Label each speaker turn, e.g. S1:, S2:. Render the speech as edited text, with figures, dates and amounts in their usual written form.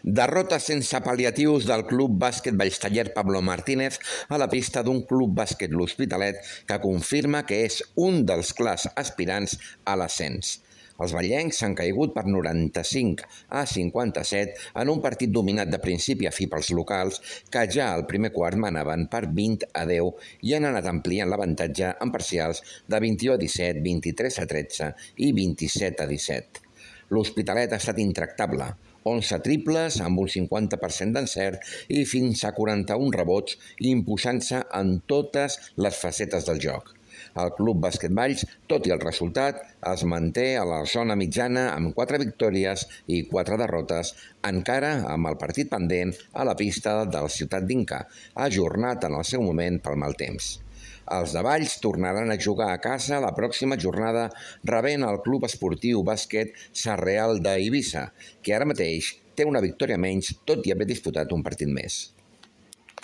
S1: Derrota sense pal·liatius del Club Bàsquet Vallstaller Pablo Martínez a la pista d'un Club Bàsquet L'Hospitalet que confirma que és un dels clars aspirants a l'ascens. Els ballencs s'han caigut per 95-57 en un partit dominat de principi a fi pels locals que ja al primer quart manaven per 20-10 i han anat ampliant l'avantatge en parcials de 21-17, 23-13 i 27-17. L'Hospitalet ha estat intractable, 11 triples amb un 50% d'encert i fins a 41 rebots, imposant-se en totes les facetes del joc. El Club Bàsquet Valls, tot i el resultat, es manté a la zona mitjana amb 4 victòries i 4 derrotes, encara amb el partit pendent a la pista del Ciutat d'Inca, ajornat en el seu moment pel mal temps. Els de Valls tornaran a jugar a casa la pròxima jornada rebent el Club Esportiu Bàsquet Sarreal d'Eivissa, que ara mateix té una victòria menys tot i haver disputat un partit més.